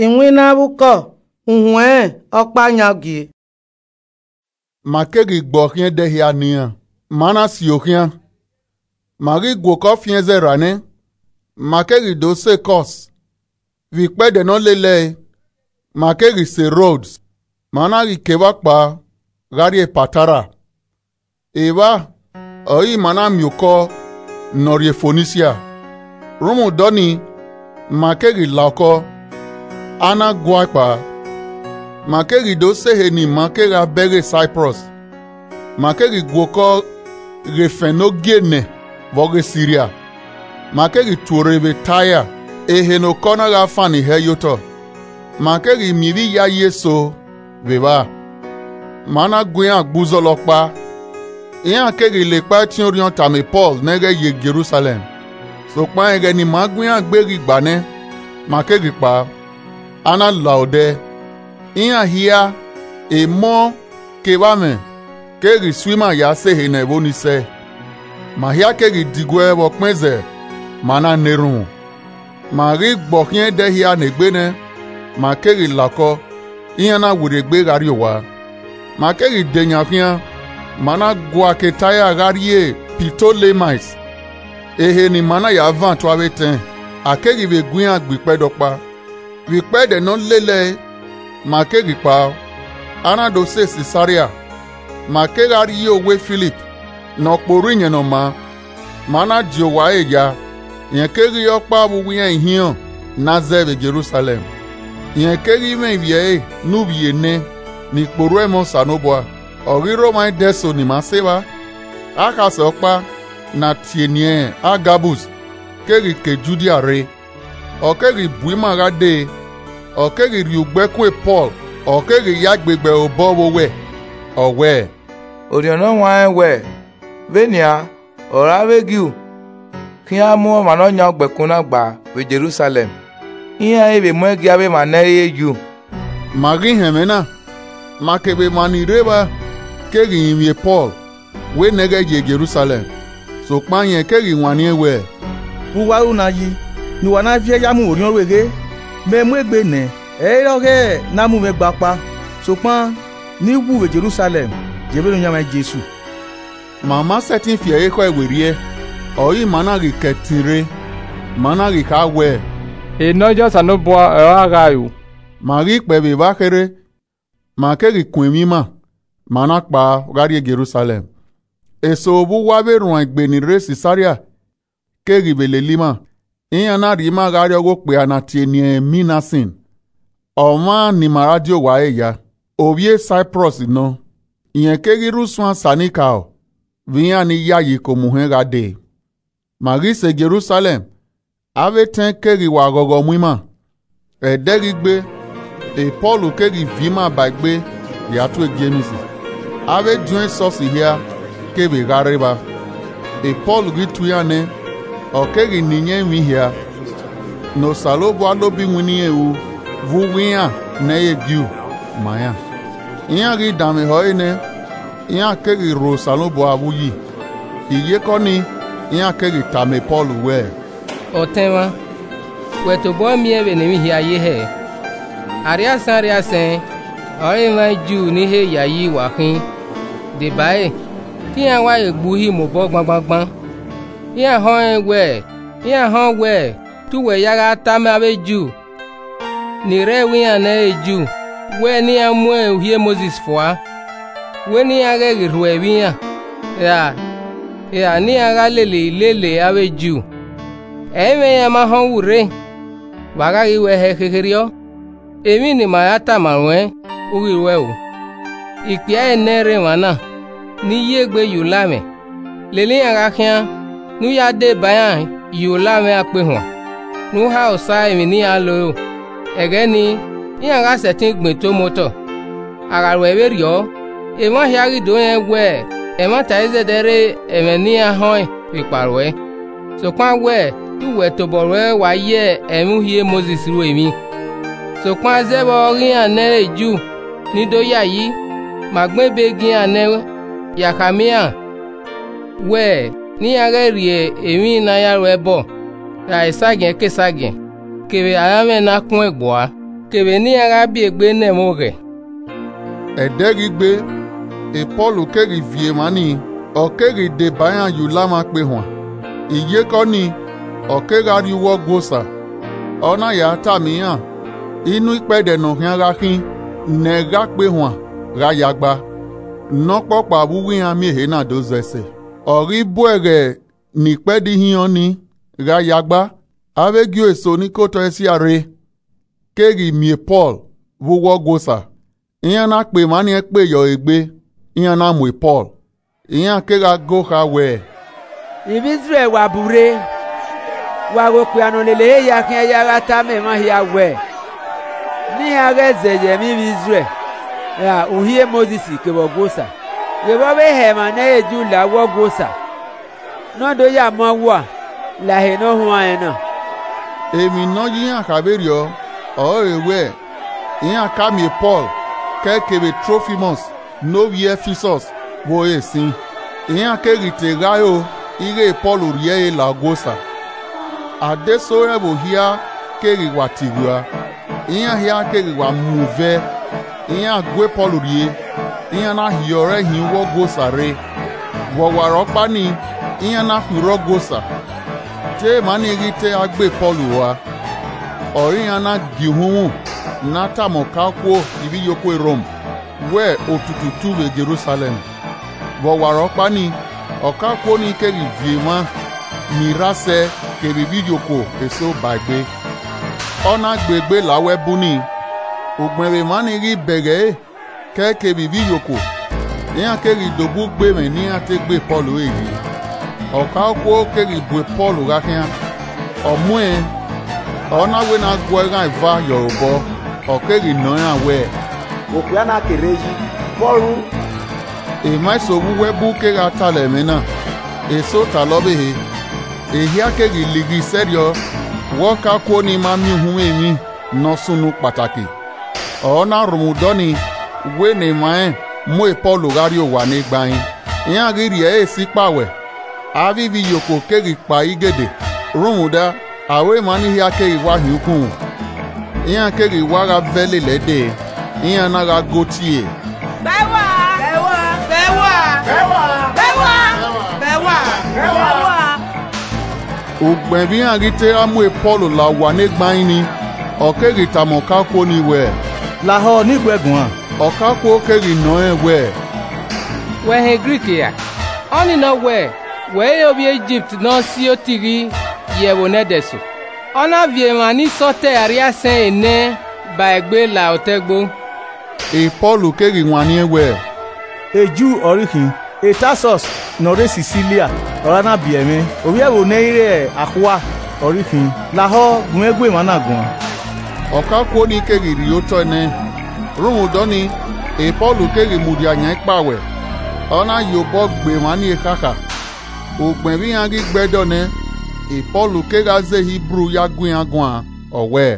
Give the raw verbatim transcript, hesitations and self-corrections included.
Iwinna vbe ukọ, uhunmwu ọkpa yan gie. Ma keghi gbe ọkhiẹn ẹdẹ hia nian, ma na sio khian. Ma ghi guokọ fiẹn zẹ ra nẹ, ma keghi do sẹ Kọs. Vbe ikpẹdẹ ne ọ lele ẹre, ma keghi sẹ Rods, ma na ghi ke evba kpao gha rrie Patara. Evba ọre ima na miẹn okọ ne ọ rrie Fonisia. Rhunmwuda ọnii, ma keghi la okọ, a na guan kpao. Ma keghi do sẹ ehe ne ima kegha bẹghe Saiprọs. Ma keghi guokọ ghe Fẹn ne Ogienẹ vbe ọghe Siria. Ma keghi tuorre vbe Taia, ehe ne okọ na gha fan ni hẹ ye otọ. Ma keghi miẹn ivbi iyayi eso vbe evba. Ma na gu iran gbe uzọla ọkpa, iran keghi la ekpa ẹtin orhiọn tama Pọl ne ghẹ ye Jerusalẹm. Sokpan ẹghẹ ne ima gu iran gbe ghi gba nẹ, ma keghi kpao, a na la odẹ. Iran hia, emọ kevbe amwẹ keghi su ima ya sẹ ehe ne ẹvbo ni sẹe. Ma hia keghi diguẹ vbe ọkpẹn zẹ ma na na erhunmwu. Ma ghi gbe ọkhiẹn ẹdẹ hia ne egbe nẹ, ma keghi la okọ, iran na werriegbe gha rrie owa. Ma keghi de yan khian, ma na gua ke Taia gha rrie Pitolemais. Ehe ne ima na ya van tua vbe etẹn, a keghi vbe gu iran gbe ikpẹdẹ ọkpa. Vbe ikpẹdẹ ne ọ lele ẹre, ma keghi kpao, a na do sẹ Sisaria. Ma kegha rrie owa Filip ne ọ kpe orhu Iyẹn Ne ọ maa, ma na die owa ẹre ya, rẹn keghi re ọkpa vbe uwu iran ihiọn ne a zẹe vbe Jerusalẹm. Rẹn keghi mwẹ ivbi ẹre ne uvbi ene ni kpe orhu ẹmwẹ Osanobua. Ọ ghi rre omwa idẹso ne ima sẹ evba. Akhasẹ ọkpa ne a tie eni Agabus keghi ke Judia rre, ọ keghi bu ima gha dee, ọ keghi rhie ugbẹkun Pọl, ọ keghi ya gbe gbe obọ vbe owẹ, ọ wẹẹ, Orhiọn ne ọ huanrẹn wẹẹ, vbenian, ọre avbe Ju khian mu ọmwa ne ọ yan ugbẹkun na gba vbe Jerusalẹm, iran i vbe muẹn gie avbe emwa ne ẹ i re Ju. Ma ghi họn ẹmwẹ na, ma kevbe emwa ni rre evba keghi rinmwian Pọl wẹ ne ghẹ ye Jerusalẹm. Sokpan irẹn keghi wanniẹn wẹẹ, Vbe uwa ru na yi, ne uwa na viẹ ya mu vbe orhiọn ru eghe? Mẹ mu egbe nẹ, ẹ i re ọghe ne a mu mwẹ gba ọkpa, sokpan ne I wu vbe Jerusalẹm ye vbene ọ yan mwa Jesu. Ma ma sẹtin fi ẹre khẹ werriẹ, ọre ima na ghi ke ẹtin rre, ma na ghi kha wẹẹ, Enọ ye Osanobua ọre a gha ru. Ma ghi kpẹe vbe evba kherhe, ma keghi kun emwi ima, ma na kpao gha rrie Jerusalẹm. Eso vbe uwu avbe erhuanegbe ni rre Sisaria keghi vbe lele ima, iran na rhie ima gha rrie ọghe okpia ne a tie eni Minasin, ọmwa ne ima ra die owa ẹre ya, ovbi e Saiprọs nọ. Irẹn keghi rre usuan Sanikao vbe iran ni yayi ke omuhẹn gha dee. Ma ghi sẹ Jerusalẹm, avbe etẹn keghi wa ghọghọ mu ima. Ẹdẹ ghi gbe, Pọl keghi viọ ima ba egbe ya tue Jems. Avbe ediọn esọsi hia kevbe gha rre evba. Pọl ghi tue iran nẹ, ọ keghi ne iyẹn emwi hia ne Osanobua lobe iwinna irẹn ru vbe uwu iran ne ẹ i re Ju ma iran. Iran ghi danmwehọ ẹre nẹ, iran keghi rho Osanobua vbe uyi. Iyeke ọnii, iran keghi tama Pọl wẹẹ, Ọtẹn mwa, wẹ tobọ miẹn vbene emwi hia ye hẹ? Arriaisẹn arriaisẹn ọre emwa Ju ni he yayi wa khin. Debare, te iran wa ghe gbe uhi mobọ gbangbangban. Iran họẹn wẹẹ, iran họn wẹẹ, te uwẹ ya gha tama avbe Ju ni rre ẹvbo iran ne ẹ i re Ju wẹẹ ne iran mu Uhi Mosis fua, wẹ ne iran ghẹ ghi rhuẹ vbe iran, ra, ra ne iran gha lele ilele avbe Ju. Ẹ i mwẹ iran ma họn uwu rre, vbe a gha ghi ruẹ hẹ khekherriọ? Emwi ne ima ya tama ruẹn, u ghi ruẹ ru. Ikpia ẹre nẹ rre emwa na, ne I ye egbe ye ula mwẹ, lele iran gha khian, ne u ya deba iran ye ola mwẹ akpe huan, ne u ha Osa emwi ne iran lo ro. Ẹghẹ nii, iran gha sẹtin gbẹn eto mu otọ. A gha ruẹ vberriọ, emwa hia ghi do rẹn wẹẹ, ẹmwata i zẹdẹ rre ẹmwẹ ne iran họẹn vbe ekpa ruẹ. Sokpan wẹ, te uwẹ tobọ ruẹ wa ye ẹmwẹ Uhi Mosis ru emwi. Sokpan zẹvbe ọghe iran ne ẹ i re Ju ni do yayi, ma gbẹn ebe gie iran nẹ ya khama iran wẹ, ne iran ghẹ rhie emwi ne a ya ru ẹbọ, ra esagiẹn ke esagiẹn, kevbe aranmwẹ ne a kuẹn gbua. kevbe ne iran gha biegbe ne ẹmwẹ oghẹ. Ẹdẹ ghi gbe, Pọl keghi viọ emwa nii, ọ keghi deba iran ye ulamwẹ akpe huan. Iyeke ọnii, ọ kegha rrie uwu Ọgua Osa, ọ na ya tama iran, inu ikpẹdẹ ne ọ khian gha khin, ne ẹghẹ akpe huan gha ya gba, ne ọkpọkpa vbe uwu iran miẹn ehe na do zẹ ẹse. Ọ ghi bu ẹghẹ ne ikpẹdẹ ihiọn ni gha ya gba, avbe Ju eso ni ke otọ Esia rre keghi miẹn Pọl vbe uwu Ọgua Osa, iran na kpe emwa ni ẹkpe ye ọre egbe, iran na mu Pọl. Iran kegha go kha wẹẹ, Ivbi Izrẹl wa bu rre, wa ghe okpia ne ọ lele ehe hia khian ya gha tama emwa hia wẹẹ, ne iran ghẹ zẹ ye ẹmwẹ ivbi Izrẹl ra uhi e Mosis kevbe Ọgua Osa, ghevbe ọ vbe hẹ emwa ne ẹ i re Ju la uwu Ọgua Osa, ne ọ do ya mu awua la ehe ne ọ huanrẹn na. Emwi ne ọ ya iran kha vberriọ ọrọre wẹẹ, iran ka miẹn Pọl kẹ kevbe Trofimọs ne ovbi Ẹfisọs vbe ore sin. Iran keghi te gha ro ighẹ Pọl rhie ẹre la Ọgua Osa. Adeso ẹvbo hia keghi wa tiwua, iran hia keghi wa mu vẹ, iran gue Pọl rrie, iran na hiọ ọre hin uwu Ọgua Osa rre. Vbe ọwarọkpa nii, iran na khuirre Ọgua Osa, te emwa ni ghi te gha gbe Pọl rua, ọre iran na gie uhunmwu ne a tama ọkaokuo ivbiyokhuo Rom wẹẹ otutu tu vbe Jerusalẹm. Vbe ọwarọkpa nii, ọkaokuo ni keghi viọ emwa ni rre asẹ kevbe ivbiyokhuo eso ba egbe, ọ na gbe egbe la uwu ẹbu nii. Ugbẹn vbe emwa ni ghi bẹghe ẹre kẹ kevbe ivbiyokhuo, iran keghi do bu ugbe ẹmwẹ ne iran te gbe Pọl ẹre yi. Ọkaokuo keghi bu Pọl gha khian, ọ muẹn, ọ na wẹ ne a guẹ eghan eva ye ọre obọ, ọ keghi nọ iran wẹẹ, Vbe okpia na ke rre yi, Pọl ru. Emwa eso vbe uwu ẹbu kegha talọ ẹmwẹ na, eso talọ ọvbehe. Ehia keghi lighi sẹrriọ vbe ọkaokuo ni ma miẹn uhunmwu emwi ne ọ sunu kpataki. Ọ na rhunmwuda ọnii wẹ ne emwa rẹn mu Pọl gha rrie owa ne gbain. Iran ghi rhie ẹre si kpawẹ, avbe ivbiyokhuo keghi kpa igede, rhunmwuda aro emwa ni hia keghi wa hin ukhunmwu. Iran keghi wa gha vẹ lele ẹdẹ, iran na gha go tie, Bẹẹwa! Bẹẹwa! Ugbẹn vbe iran ghi te gha mu Pọl la owa ne gbain nii, ọ keghi tama ọkaokuo ni wẹẹ, Lahọ ne I guẹ guan. Ọkaokuo keghi nọ rẹn wẹẹ, Wẹ họn Grik ra? Ọnii nọ wẹẹ, wẹ i re ovbi Igipt ne ọ si otighi ye ẹvbo nẹdẹso, ọ na viọ emwa ni sẹ otọ ẹre a rrie asẹ ẹre nẹ ba egbe la otọ ẹgbo. Pọl keghi wanniẹn wẹẹ, Ju ọre I khin, Tasọs ne ọ rre Sisilia ọre a na biẹ mwẹ, ovbi ẹvbo ne ẹ i re akhua ọre I khin. Lahọ gu mwẹ gu emwa na guan. Ọkaokuo ni keghi rhie otọ ẹnẹ, rhunmwuda ọnii, Pọl keghi mudia yan ikpawẹ, ọ na ye obọ gbe emwa ni ekhakha. Ugbẹn vbe iran ghi gbe ẹdẹ nẹ, Pọl kegha zẹ Hibru ya gu iran guan, ọ wẹẹ,